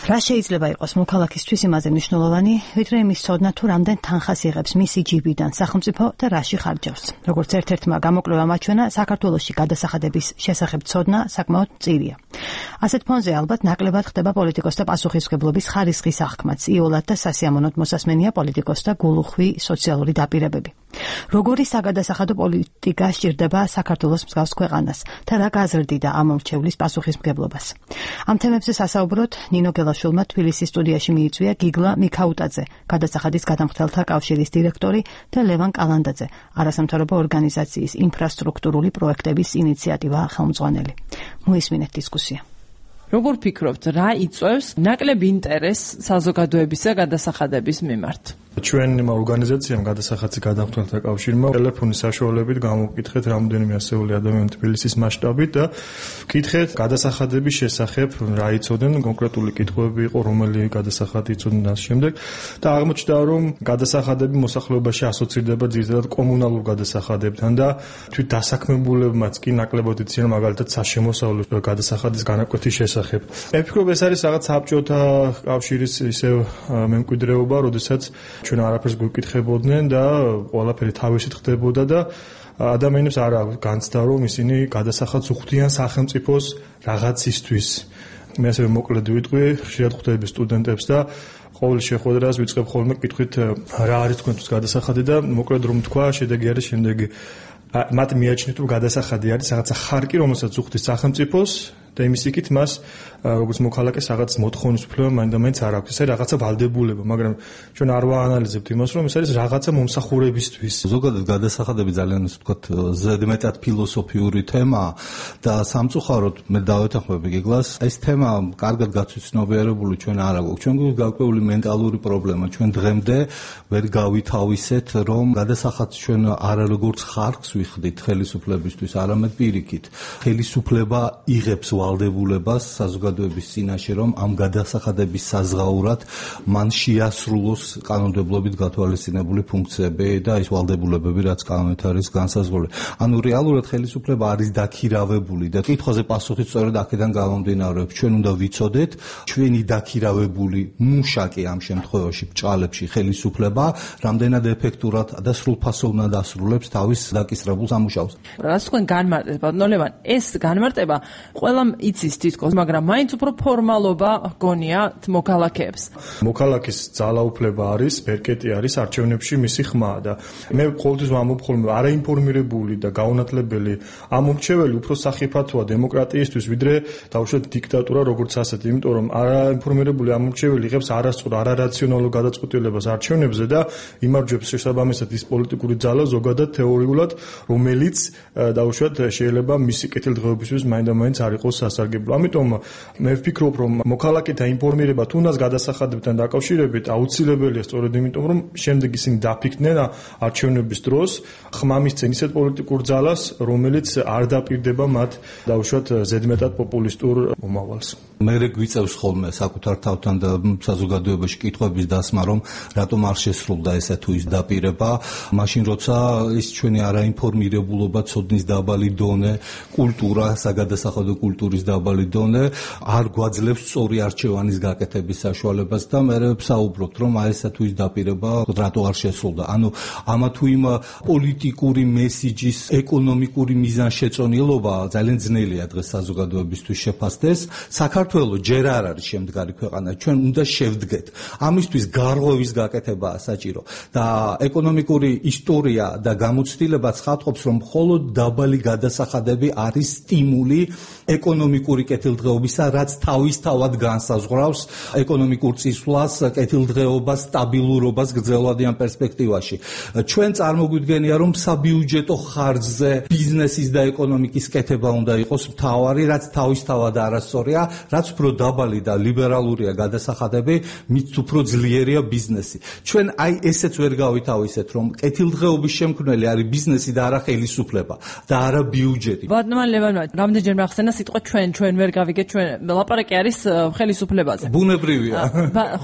რა შეიძლება იყოს მოქალაქისთვის იმაზე მნიშვნელოვანი, ვიდრე იმის ცოდნა თუ რამდენ თანხას იღებს მისი ჯიბიდან სახელმწიფო და რაში ხარჯავს. როგორც ერთ-ერთმა გამოკვლევამ აჩვენა, საქართველოში გადასახადების შესახებ ცოდნა საკმაოდ მწირია. ასეთ ფონზე ალბათ ნაკლებად ხდება პოლიტიკოსთა პასუხისმგებლობის ხარისხის აღქმაც, იოლად და სასიამოვნოდ მოსასმენია პოლიტიკოსთა გულუხვი სოციალური დაპირებები. როგორი საგადასახადო პოლიტიკა სჭირდება საქართველოს მსგავს ქვეყანას და რა გაზრდიდა ამ მომრჩევლის პასუხისმგებლობას. ამ თემებზე სასაუბროთ ნინო გელაშვილმა თბილისის სტუდიაში მიიწვია გიგლა მიქაუტაძე, გადასახადის გადამხდელთა კავშირის დირექტორი და ლევან კალანდაძე, არასამთავრობო ორგანიზაციის ინფრასტრუქტურული პროექტების ინიციატივა ხელმძღვანელი. მოისმინეთ დისკუსია. როგორ ფიქრობთ, რა იწვევს ნაკლებ ინტერესს საზოგადოებისა გადასახადების მიმართ? ჩვენმა ორგანიზაციამ გადასახადზე გადამხდელთა კავშირმა ტელეფონის საშუალებით გამოვკითხეთ რამდენიმე ასეული ადამიანი თბილისის მასშტაბით და ვკითხეთ გადასახადების შესახებ რა იცოდნენ, კონკრეტული კითხვები იყო, რომელი გადასახადი იცოდნენ და შემდეგ და აღმოჩნდა, რომ გადასახადები მოსახლეობაში ასოცირდება ძირითადად კომუნალურ გადასახადებთან და თვით დასაქმებულებმაც კი ნაკლებად იციან მაგალითად საშემოსავლო გადასახადის განაკვეთის შესახებ. მე ვფიქრობ, ეს არის რაღაც საბჭოთა კავშირის ისევ მემკვიდრეობა, როდესაც ჩვენ არაფერს გვიკითხებოდნენ და ყველაფერი თავისით ხდებოდა და ადამიანებს არ აქვს განცდა, რომ ისინი გადასახადს უხდიან სახელმწიფოს რაღაცისთვის. მე ასევე მოკლედ ვიტყვი, ხშირად ხვდები სტუდენტებს და ყოველ შეხვედრას ვიწყებ ხოლმე კითხვით, რა არის თქვენთვის გადასახადი და მოკლედ რომ თქვა, შედეგი არის შემდეგი. მათ მიაჩნიათ, რომ გადასახადი არის რაღაცა ხარკი, რომელსაც უხდის სახელმწიფოს და იმის იქით მას როგორც მოქალაქეს რაღაც მოთხოვნის უფლება მაინც არ აქვს. ეს არის რაღაცა ვალდებულება, მაგრამ ჩვენ არ ვაანალიზებთ იმას, რომ ეს არის რაღაცა მომსახურებისთვის. ზოგადად გადასახადები ძალიან ისე ვთქვათ ზედმეტად ფილოსოფიური თემაა და სამწუხაროდ მე დავეთანხმები გიგლას, ეს თემა კარგად გაცნობიერებული ჩვენ არ აქვს. ჩვენ გვაქვს გაკვეული მენტალური პრობლემა. ჩვენ დღემდე ვერ გავითავისეთ, რომ გადასახადს ჩვენ არა როგორც ხარკს ვიხდით ხელისუფლებისთვის, არამედ პირიქით. ხელისუფლება იღებს ვალდებულებას საზოგადოების წინაშე, რომ ამ გადასახადების საზღაურად მან შეასრულოს კანონმდებლობით გათვალისწინებული ფუნქციები და ის ვალდებულებები, რაც კანონით არის განსაზღვრული. ანუ რეალურად ხელისუფლება არის დაქირავებული და კითხვაზე პასუხი სწორედ აქედან გამომდინარეობს. ჩვენ უნდა ვიცოდეთ, ჩვენი დაქირავებული მუშაკი ამ შემთხვევაში ბჭყალებში ხელისუფლება რამდენად ეფექტურად და სრულფასოვნად ასრულებს თავის დაკისრებულ სამუშაოს. რაც თქვენ განმარტეთ, ბატონო ლევან, ეს განმარტება ყველამ იცის თითქოს, მაგრამ მაინც უფრო ფორმალობა გონია მოქალაქეებს. მოქალაქის ძალაუფლება არის, ბერკეტი არის არჩევნებში მისი ხმაა და მე ყოველთვის ვამბობ ხოლმე, არაინფორმირებული და გაუნათლებელი ამ მომრჩეველი უფრო სახიფათოა დემოკრატიისთვის, ვიდრე დაუშვათ დიქტატურა როგორც ასეთი, იმიტომ რომ არაინფორმირებული ამ მომრჩეველი იღებს არასწორ, არარაციონალურ გადაწყვეტილებას არჩევნებზე და იმარჯვებს შესაბამისად ის პოლიტიკური ძალა ზოგადად თეორიულად, რომელიც დაუშვათ შეიძლება მისი კეთილდღეობისთვის მაინც არ იყოს სასარგებლო. ამიტომ მე ვფიქრობ, რომ მოქალაქეთა ინფორმირება თუნდაც გადასახადებთან დაკავშირებით აუცილებელია სწორედ იმიტომ, რომ შემდეგ ისინი დაფიქრდნენ არჩევნების დროს ხმამისცენ ისეთ პოლიტიკურ ძალას, რომელიც არ დაპირდება მათ დაუშვათ ზედმეტად პოპულისტურ მომავალს. მე გვიწევს ხოლმე საკუთარ თავთან და საზოგადოებაში კითხვების დასმა, რომ რატომ არ შესრულდა ესა თუ ის დაპირება, მაშინ როცა ის ჩვენი არაინფორმირებულობა, ცოდნის დაბალი დონე, კულტურა, საგადასახადო კულტურის დაბალი დონე არ გვაძლევს სწორი არჩევანის გაკეთების საშუალებას და მე ვსაუბრობთ, რომ აი ესა თუ ის დაპირება რატო არ შესრულდა. ანუ ამა თუ იმ პოლიტიკური მესიჯის ეკონომიკური მიზანშეწონილობა ძალიან ძნელია დღეს საზოგადოებისთვის შეფასდეს. საქართველოს ჯერ არ არის შემდგარი ქვეყანა, ჩვენ უნდა შევდგეთ. ამისთვის გარღვევის გაკეთებაა საჭირო და ეკონომიკური ისტორია და გამოცდილება ცხადყოფს, რომ მხოლოდ დაბალი გადასახადები არის სტიმული ეკონომიკური კეთილდღეობისა, რაც თავისთავად განსაზღვრავს ეკონომიკურ წისვლას, კეთილდღეობას, სტაბილურობას გრძელვადიან პერსპექტივაში. ჩვენ წარმოგვიდგენია, რომ საბიუჯეტო ხარჯზე ბიზნესის და ეკონომიკის კეთება უნდა იყოს მთავარი, რაც თავისთავად არასწორია, რაც უფრო დაბალი და ლიბერალურია გადასახადები, მით უფრო ძლიერია ბიზნესი. ჩვენ აი ესეც ვერ გავითავისეთ, რომ კეთილდღეობის შემქმნელი არის ბიზნესი და არა ხელისუფლება და არა ბიუჯეტი. ბატონო ლევანმა რამდენჯერ მახსენა სიტყვა ჩვენ ვერ გავიგეთ, ჩვენ ლაპარაკი არის ხელისუფლებაზე. ბუნებრივია.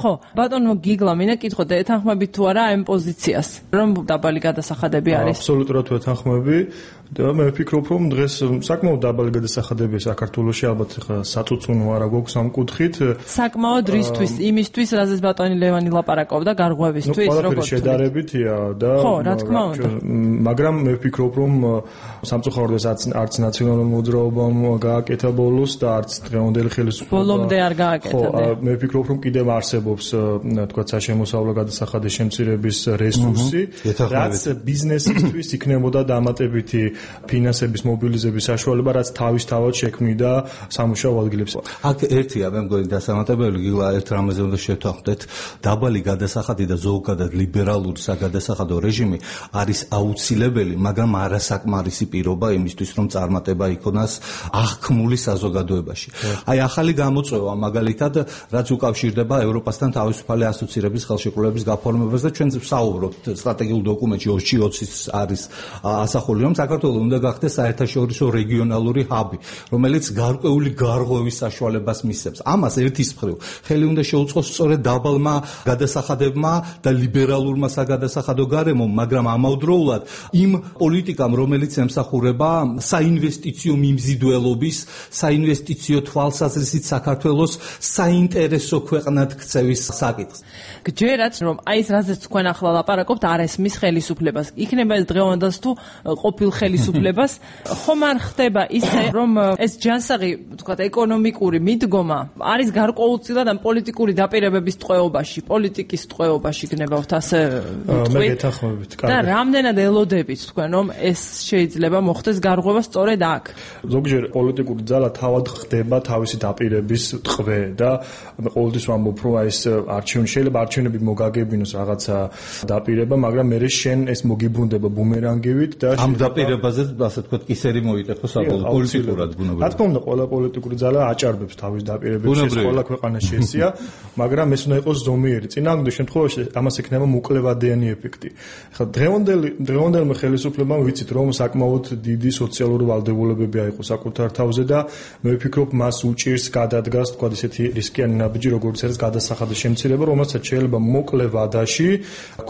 ხო, ბატონო გიგლა, მინდა კითხოთ, ეთანხმებით თუ არა ამ პოზიციას, რომ დაბალი გადასახადები არის? აბსოლუტურად ვეთანხმები. და მე ვფიქრობ, რომ დღეს საკმაოდ დაბალი გადასახადებია საქართველოში, ალბათ ხა საწუწუნო არა გვაქვს ამ კუთხით. საკმაოდ რისთვის, იმისთვის, რაზეც ბატონი ლევანი ლაპარაკობდა, გარღვევისთვის, როგორც შედარებითია და ხო, რა თქმა უნდა. მაგრამ მე ვფიქრობ, რომ სამწუხაროდ არც ნაციონალურ მოძრაობამ გააკეთა ბოლოს და არც დღევანდელი ხელისუფლება ბოლომდე არ გააკეთა. ხო, მე ვფიქრობ, რომ კიდევ არსებობს თქვა საშემოსავლო გადასახადის შემცირების რესურსი, რაც ბიზნესისთვის იქნებოდა დამატებითი ფინანსების მობილიზების საშუალება, რაც თავისთავად შექმნიდა სამუშაო ადგილებს. აქ ერთია, მე მგონი დასამატებელი გიგლა ერთ რამეზე უნდა შევთანხმდეთ, დაბალი გადასახადი და ზოგადად ლიბერალური საგადასახადო რეჟიმი არის აუცილებელი, მაგრამ არასაკმარისი პირობა იმისთვის, რომ წარმატება იქონას აღქმული საზოგადოებაში. აი ახალი გამოწვევა მაგალითად, რაც უკავშირდება ევროპასთან თავისუფალი ასოცირების ხელშეკრულების გაფორმებას და ჩვენ ვსაუბრობთ სტრატეგიულ დოკუმენტში 2020-ის არის ასახული, რომ საქართველოს უნდა გახდეს საერთაშორისო რეგიონალური ჰაბი, რომელიც გარკვეული გარღვევის საშუალებას მისცემს. ამას ერთის მხრივ ხელი უნდა შეუწყოს სწორედ დაბალმა გადასახადებმა და ლიბერალურმა საგადასახადო გარემომ, მაგრამ ამავდროულად იმ პოლიტიკამ, რომელიც ემსახურება საინვესტიციო მიმზიდველობის, საინვესტიციო თვალსაზრისით საქართველოს საინტერესო ქვეყნად ქცევის საკითხს. გჯერათ, რომ აი ეს რაზეც თქვენ ახლა ლაპარაკობთ, არ ესმის ხელისუფლებას. იქნება ეს დღევანდელს თუ ყოფილ ხელისუფლებას, ხომ არ ხდება ისე, რომ ეს ჯანსაღი, თქვათ, ეკონომიკური მიდგომა არის გარკვეულწილად ამ პოლიტიკური დაპირებების ტყვეობაში, პოლიტიკის ტყვეობაში გნებავთ ასე მე გეთანხმებით, და რამდენად ელოდებით თქვენ, რომ ეს შეიძლება მოხდეს გარღვევა სწორედ აქ? ზოგჯერ პოლიტიკური ძალა თავად ხდება თავისი დაპირების ტყვე და მე ყოველთვის ვამბობ, რომ აი ეს არჩევანი შეიძლება არჩევნები მოგაგებინოს რაღაცა დაპირება, მაგრამ მე შენ ეს მოგიბრუნდება ბუმერანგივით და ამ დაპირებაზე ასე თქვა კისერი მოიტეხო საბოლოო პოლიტიკურად ბუნებრივად. რა თქმა უნდა, ყველა პოლიტიკური ძალა აჭარბებს თავის დაპირებებს, ეს ყველა ქვეყანაში ესია, მაგრამ ეს უნდა იყოს ზომიერი. წინააღმდეგ შემთხვევაში ამას ექნება მოკლევადიანი ეფექტი. ხა დღევანდელმა ხელისუფლებამ ვიცით, რომ საკმაოდ დიდი სოციალური ვალდებულებები აიღო საკუთარ თავზე და მე ვფიქრობ, მას უჭირს გადადგას, თქვა ისეთი რისკიანი ნაბიჯი, როგორც არის გადასახადის შემცირება, რომელსაც შეიძლება მოკლე ვადაში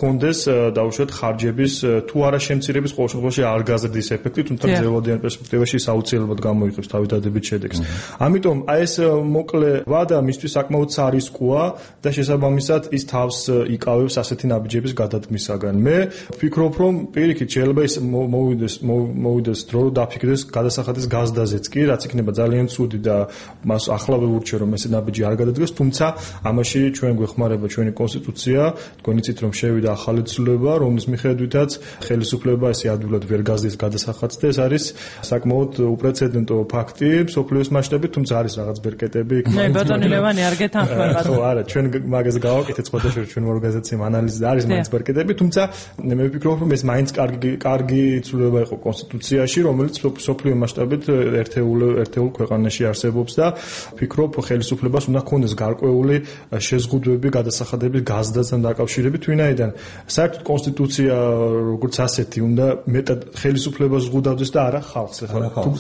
კონდეს დაუშვათ ხარჯების თუ არა შემცირების ყოველ შემთხვევაში არ გაზრდის ეფექტი, თუმცა გრძელვადიან პერსპექტივაში საუცილებლად გამოიწვევს თავდადებით შედეგს. ამიტომ აი ეს მოკლე ვადა მისთვის საკმაოდ სარისკოა და შესაბამისად ის თავს იკავებს ასეთი ნაბიჯების გადადგმისაგან. მე ვფიქრობ, რომ პირიქით შეიძლება ის მოვიდეს დრო დაფიქრდეს გადასახადის გაზდაზეც კი, რაც იქნება ძალიან ცუდი და მას ახლავე ურჩევ, რომ ეს ნაბიჯი არ გადადგეს, თუმცა ამაში ჩვენ გვეხმარება ჩვენი კონსტიტუცია, თქვენ იცით, რომ შევიდა ახალი ცვლილება, რომლის მიხედვითაც ხელისუფლება ესე ადვილად ვერ გაზდის გადასახადს და ეს არის საკმაოდ უპრეცედენტო ფაქტი მსოფლიოს მასშტაბით, თუმცა არის რაღაც ბერკეტები იქ. მე ბატონი ლევანი არ გეთანხმებათ. ხო, არა, ჩვენ მაგაზე გავაკეთეთ სხვადასხვა ჩვენ ორგანიზაციამ ანალიზი, არის მაინც ბერკეტები, თუმცა მე ვფიქრობ, რომ ეს მაინც კარგი ცვლილება იყო კონსტიტუციაში, რომელიც მსოფლიო მასშტაბით ერთეულ ქვეყანაში არსებობს და ვფიქრობ, ხელისუფლებას უნდა ჰქონდეს გარკვეული შეზღუდვები გადასახადების გაზრდასთან დაკავშირებით, ვინაიდან საერთოდ კონსტიტუცია როგორც ასეთი უნდა მეტად ხელისუფლებას ზღუდავდეს და არა ხალხს.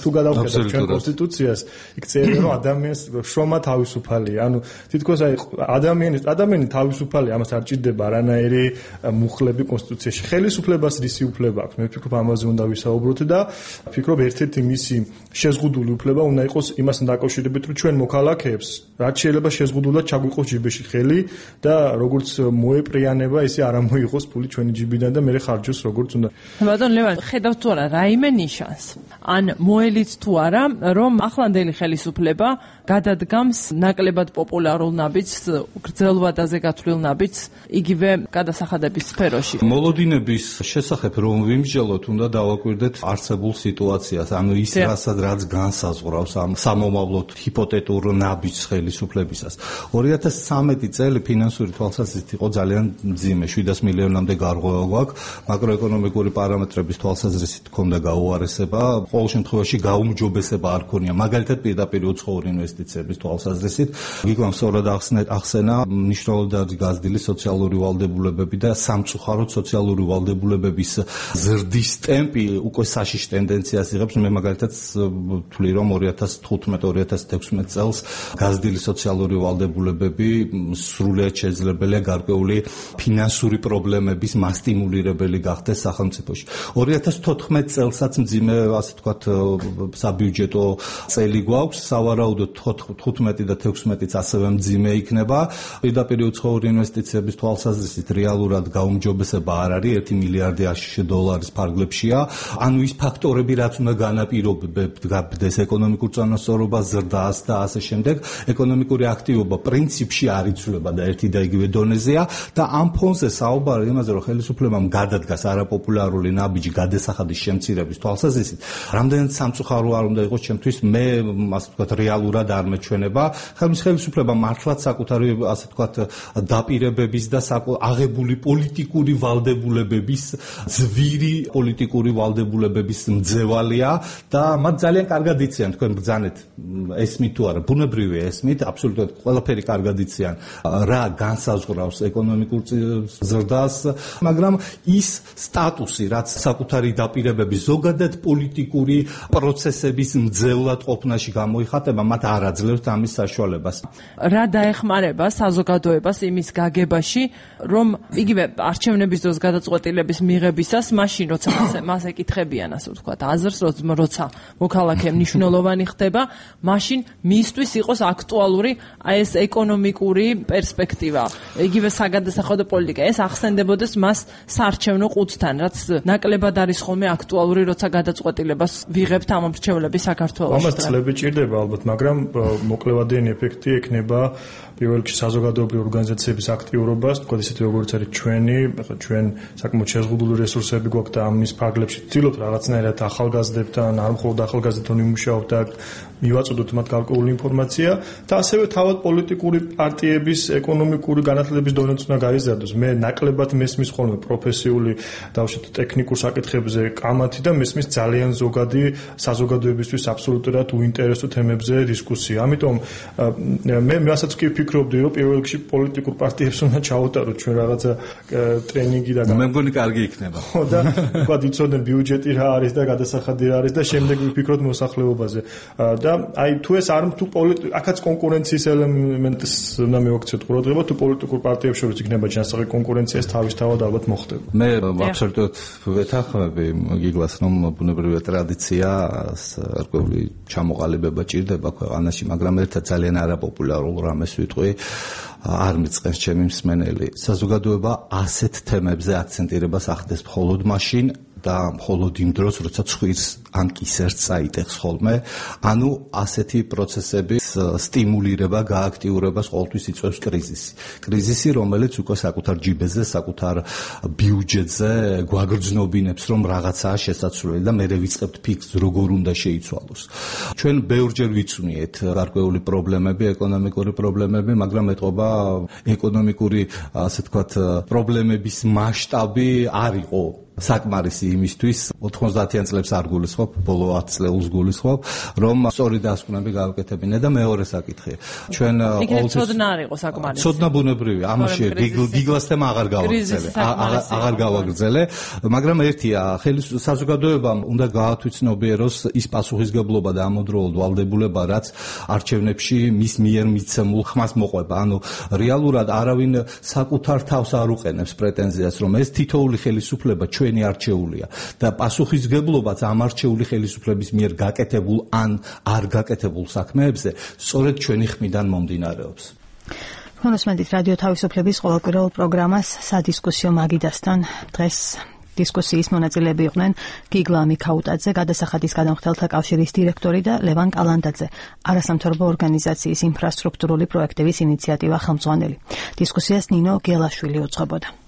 თუ გადავხედავთ ჩვენ კონსტიტუციას, იქ წერია, რომ ადამიანს შრომა თავისუფალია. ანუ თითქოს აი ადამიანი თავისუფალია, ამას არ ჭირდება არანაირი მუხლები კონსტიტუციაში. ხელისუფლებას რისი უფლება აქვს? მე ვფიქრობ, ამაზე უნდა ვისაუბროთ და ვფიქრობ, ერთ-ერთი მისი შეზღუდული უფლება უნდა იყოს იმასთან დაკავშირებით, რომ ჩვენ მოქალაქეებს რაც შეიძლება შეზღუდულად ჩაგვიყოს ჯიბეში ხელი და როგორც მოეპრიანება, ისე არ ამოიღოს ფული ჩვენი ჯიბიდან და მე ხარჯოს როგორც უნდა. ბატონ ლევან, ხედავთ თუ არა რაიმე ნიშანს? ან მოელით თუ არა, რომ ახლანდელი ხელისუფლება გადადგამს ნაკლებად პოპულარულ ნაბიჯს, გრძელვადაზე გათვლილ ნაბიჯს, იგივე გადასახადების სფეროში. მოლოდინების შესახებ რომ ვიმსჯელოთ, უნდა დავაკვირდეთ არსებულ სიტუაციას, ანუ ის რაც განსაზღვრავს ამ სამომავლოდ ჰიპოთეტურ ნაბიჯს ხელისუფლებისას. 2013 წელი ფინანსური თვალსაზრისით იყო ძალიან მძიმე, 700 მილიონამდე გარღვევა გვაქვს, მაკროეკონომიკური პარამეტრების თვალსაზრისით ჰქონდა გაუარესება, ყოველ შემთხვევაში გაუმჯობესება არ ქონია, მაგალითად პირდაპირ უცხოურ ინვესტიციებს ინვესტიციების თვალსაზრისით. გიგლამ სწორად ახსენა მნიშვნელოვნად გაზრდილი სოციალური ვალდებულებები და სამწუხაროდ სოციალური ვალდებულებების ზრდის ტემპი უკვე საშიშ ტენდენციას იღებს. მე მაგალითად ვთვლი რომ 2015-2016 წელს გაზრდილი სოციალური ვალდებულებები სრულიად შესაძლებელია გარკვეული ფინანსური პრობლემების მასტიმულირებელი გახდეს სახელმწიფოში. 2014 წელსაც მძიმე, ასე ვთქვათ, საბიუჯეტო წელი გვაქვს, სავარაუდოდ 15 და 16-იც ასევე მძიმე იქნება. პირდაპირ უცხოური ინვესტიციების თვალსაზრისით რეალურად გაუმჯობესება არ არის, 1 მილიარდი აშშ დოლარის ფარგლებშია. ანუ ის ფაქტორები, რაც უნდა განაპირობებდეს ეკონომიკურ წონასწორობას, ზრდას და ასე შემდეგ, ეკონომიკური აქტივობა პრინციპში არ იცვლება და ერთი და იგივე დონეზეა და ამ ფონზე საუბარი იმაზე, რომ ხელისუფლებამ გადადგას არაპოპულარული ნაბიჯი გადასახადის შემცირების თვალსაზრისით, რამდენად სამწუხარო არ უნდა იყოს ჩემთვის, მე ასე ვთქვათ, რეალურად არ მეჩვენება. ხელისუფლება მართლაც საკუთარი ასე ვთქვათ დაპირებების და აღებული პოლიტიკური ვალდებულებების ძვირი პოლიტიკური ვალდებულებების მძევალია და მათ ძალიან კარგად იციან, თქვენ ბრძანეთ ესმით თუ არა, ბუნებრივია ესმით, აბსოლუტურად ყველაფერი კარგად იციან რა განსაზღვრავს ეკონომიკურ ზრდას, მაგრამ ის სტატუსი, რაც საკუთარი დაპირებების ზოგადად პოლიტიკური პროცესების მძევლად ყოფნაში გამოიხატება, მათ არ აძლევს ამის საშუალებას. რა დაეხმარება საზოგადოებას იმის გაგებაში, რომ იგივე არჩევნების დროს გადაწყვეტილების მიღებისას, მაშინ როცა მას ეკითხებიან, ასე ვთქვათ, აზრს, როცა მოქალაქე მნიშვნელოვანი ხდება, მაშინ მისთვის იყოს აქტუალური ეს ეკონომიკური პერსპექტივა, იგივე საგადასახადო პოლიტიკა, ეს ახსენდებოდეს მას საარჩევნო ყუთთან, რაც ნაკლებად არის ხოლმე აქტუალური, როცა გადაწყვეტილებას ვიღებთ ამ მრჩევლების საქართველოში. ამას წლები ჭირდება ალბათ, მაგრამ მოკლევადიანი ეფექტი ექნება პირველ რიგში საზოგადოებრივი ორგანიზაციების აქტიურობას, თქვა ისეთი როგორც არის ჩვენი, ახლა ჩვენ საკმაოდ შეზღუდული რესურსები გვაქვს და ამის ფარგლებში ვცდილობთ რაღაცნაირად ახალგაზრდებთან, არ მხოლოდ ახალგაზრდებთან ვიმუშაოთ და მივაწოდოთ მათ გარკვეული ინფორმაცია და ასევე თავად პოლიტიკური პარტიების ეკონომიკური განათლების დონეც უნდა გაიზარდოს. მე ნაკლებად მესმის ხოლმე პროფესიული დავშოთ ტექნიკურ საკითხებზე კამათი და მესმის ძალიან ზოგადი საზოგადოებისთვის აბსოლუტურად უინტერესო თემებზე დისკუსია. ამიტომ მე რასაც კი ვფიქრობდი, რომ პირველ რიგში პოლიტიკურ პარტიებს უნდა ჩაუტაროთ ჩვენ რაღაცა ტრენინგი და მე მგონი კარგი იქნება. ხო და თქვა იცოდნენ ბიუჯეტი რა არის და გადასახადი რა არის და შემდეგ ვიფიქროთ მოსახლეობაზე. და აი თუ ეს არ თუ აქაც კონკურენციის ელემენტს უნდა მივაქციოთ ყურადღება, თუ პოლიტიკურ პარტიებს შორის იქნება ჯანსაღი კონკურენცია, ეს თავისთავად ალბათ მოხდება. მე აბსოლუტურად ვეთანხმები გიგლას, რომ ბუნებრივია ტრადიცია, გარკვეული ჩამოყალიბება ჭირდება ქვეყანაში, მაგრამ ერთად ძალიან არაპოპულარულ რამეს ვიტყვი, არ მიწყენს ჩემი მსმენელი. საზოგადოება ასეთ თემებზე აქცენტირებას ახდენს მხოლოდ მაშინ და მხოლოდ იმ დროს, როცა ცხვირს ან კისერს წაიტეხს ხოლმე, ანუ ასეთი პროცესების სტიმულირება, გააქტიურებას ყოველთვის იწვევს კრიზისი. კრიზისი, რომელიც უკვე საკუთარ ჯიბეზე, საკუთარ ბიუჯეტზე გვაგრძნობინებს, რომ რაღაცაა შესაძლებელი და მე ვიწყებთ ფიქს, როგორ უნდა შეიცვალოს. ჩვენ ბევრჯერ ვიცვნიეთ გარკვეული პრობლემები, ეკონომიკური პრობლემები, მაგრამ ეთყობა ეკონომიკური, ასე ვთქვათ, პრობლემების მასშტაბი არ იყო საკმარისი იმისთვის 90-იან წლებს არ გულისხმობ, ბოლო 10 წელს გულისხმობ, რომ სწორი დასკვნები გავაკეთებინა და მეორე საკითხია. ჩვენ ყოველთვის ცოდნა არ იყო საკმარისი. ცოდნა ბუნებრივია, ამაში გიგლას თემა აღარ გავაგრძელე, მაგრამ ერთია, საზოგადოებამ უნდა გაათვითცნობიეროს ის პასუხისგებლობა და ამავდროულად ვალდებულება, რაც არჩევნებში მის მიერ მიცემულ ხმას მოყვება. ანუ რეალურად არავინ საკუთარ თავს არ უყენებს პრეტენზიას, რომ ეს თითოეული ხელისუფლება ჩვენი არჩეულია და პასუხისგებლობაც ამ არჩეული ხელისუფლების მიერ გაკეთებულ ან არ გაკეთებულ საქმეებზე სწორედ ჩვენი ხმიდან მომდინარეობს. მონოსმენდით რადიო თავისუფლების ყოველკვირეულ პროგრამას სადისკუსიო მაგიდასთან დღეს დისკუსიის მონაწილეები იყვნენ გიგლა მიქაუტაძე, გადასახადის გადამხდელთა კავშირის დირექტორი და ლევან კალანდაძე, არასამთავრობო ორგანიზაციის ინფრასტრუქტურული პროექტების ინიციატივა ხელმძღვანელი. დისკუსიას ნინო გელაშვილი უძღვებოდა.